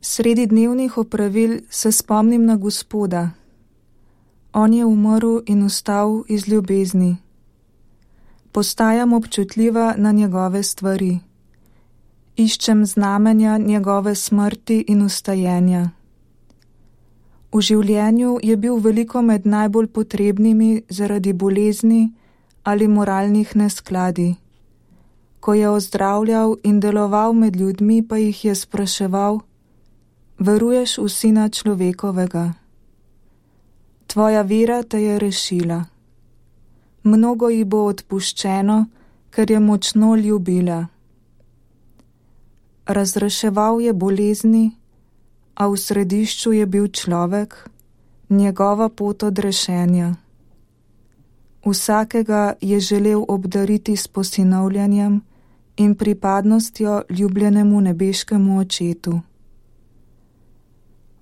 Sredi dnevnih opravil se spomnim na Gospoda. On je umrl in vstal iz ljubezni. Postajam občutljiva na njegove stvari. Iščem znamenja njegove smrti in vstajenja. V življenju je bil veliko med najbolj potrebnimi zaradi bolezni ali moralnih neskladij. Ko je ozdravljal in deloval med ljudmi, pa jih je spraševal: veruješ v Sina človekovega? Tvoja vera te je rešila. Mnogo ji bo odpuščeno, ker je močno ljubila. Razreševal je bolezni, a v središču je bil človek, njegova pot odrešenja. Vsakega je želel obdariti s posinovljanjem in pripadnostjo ljubljenemu nebeškemu Očetu.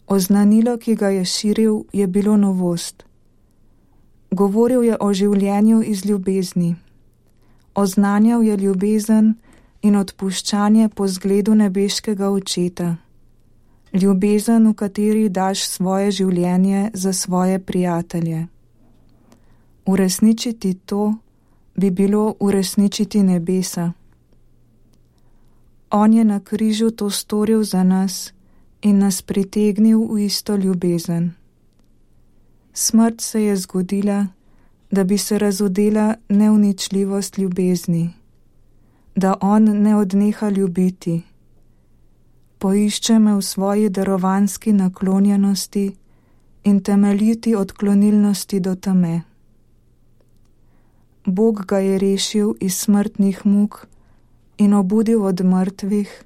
Oznanilo, ki ga je širil, je bilo novost. Govoril je o življenju iz ljubezni. Oznanjal je ljubezen in odpuščanje po zgledu nebeškega Očeta. Ljubezen, v kateri daš svoje življenje za svoje prijatelje. Uresničiti to bi bilo uresničiti nebesa. On je na križu to storil za nas in nas pritegnil v isto ljubezen. Smrt se je zgodila, da bi se razodela neuničljivost ljubezni, da on ne odneha ljubiti. Poišče me v svoji darovanski naklonjenosti in temeljiti odklonilnosti do teme. Bog ga je rešil iz smrtnih muk in obudil od mrtvih,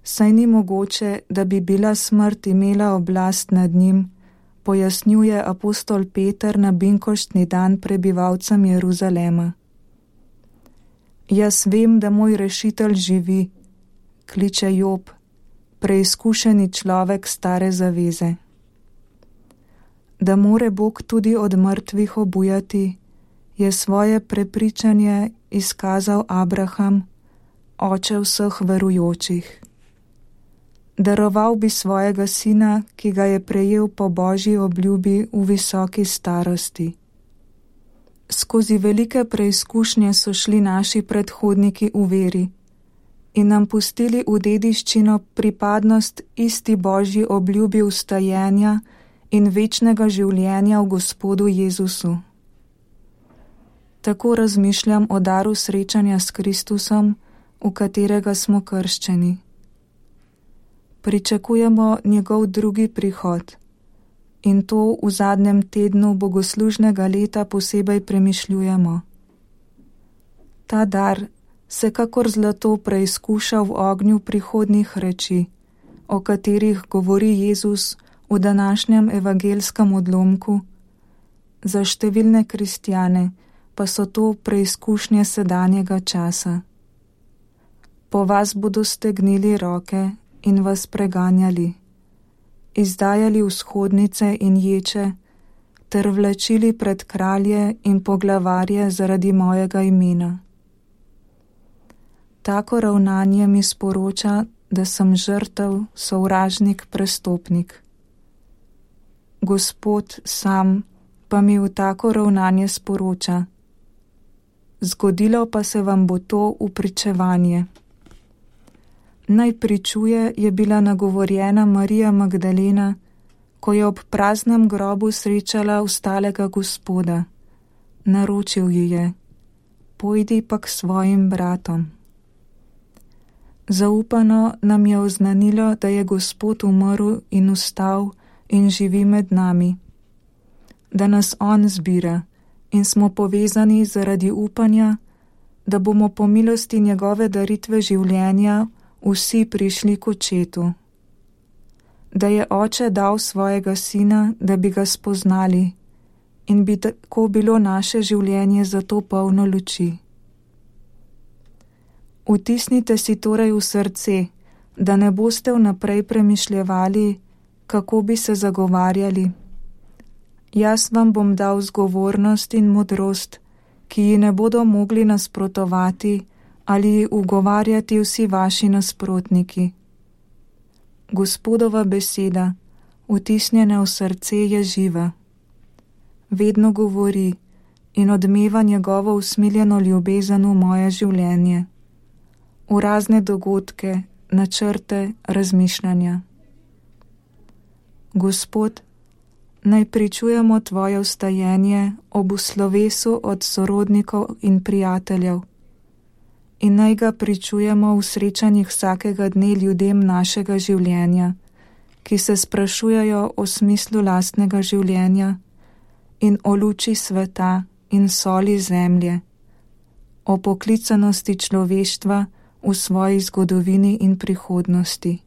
saj ni mogoče, da bi bila smrt imela oblast nad njim, pojasnjuje apostol Peter na binkoštni dan prebivalcem Jeruzalema. Jaz vem, da moj rešitelj živi, kliče Job, preizkušeni človek stare zaveze. Da more Bog tudi od mrtvih obujati, je svoje prepričanje izkazal Abraham, oče vseh verujočih. Daroval bi svojega sina, ki ga je prejel po Božji obljubi v visoki starosti. Skozi velike preizkušnje so šli naši predhodniki v veri in nam pustili v dediščino pripadnost isti Božji obljubi vstajenja in večnega življenja v Gospodu Jezusu. Tako razmišljam o daru srečanja s Kristusom, v katerega smo krščeni. Pričakujemo njegov drugi prihod in to v zadnjem tednu bogoslužnega leta posebej premišljujemo. Ta dar se kakor zlato preizkuša v ognju prihodnjih reči, o katerih govori Jezus v današnjem evangelskem odlomku. Za številne kristjane pa so to preizkušnje sedanjega časa. Po vas bodo stegnili roke in vas preganjali, izdajali vzhodnice in ječe, ter vlačili pred kralje in poglavarje zaradi mojega imena. Tako ravnanje mi sporoča, da sem žrtev, sovražnik, prestopnik. Gospod sam pa mi v tako ravnanje sporoča: zgodilo pa se vam bo to v pričevanje. Naj pričuje je bila nagovorjena Marija Magdalena, ko je ob praznem grobu srečala vstalega Gospoda. Naročil ji je: pojdi pa k svojim bratom. Zaupano nam je oznanilo, da je Gospod umrl in vstal in živi med nami, da nas on zbira in smo povezani zaradi upanja, da bomo po milosti njegove daritve življenja vsi prišli k Očetu. Da je Oče dal svojega Sina, da bi ga spoznali in bi tako bilo naše življenje zato polno luči. Vtisnite si torej v srce, da ne boste vnaprej premišljevali, kako bi se zagovarjali. Jaz vam bom dal zgovornost in modrost, ki ji ne bodo mogli nasprotovati ali ugovarjati vsi vaši nasprotniki. Gospodova beseda, vtisnjena v srce, je živa. Vedno govori in odmeva njegovo usmiljeno ljubezen v moje življenje, v razne dogodke, načrte, razmišljanja. Gospod, naj pričujemo tvoje vstajenje ob slovesu od sorodnikov in prijateljev in naj ga pričujemo v srečanjih vsakega dne ljudem našega življenja, ki se sprašujejo o smislu lastnega življenja in o luči sveta in soli zemlje, o poklicanosti človeštva v svoji zgodovini in prihodnosti.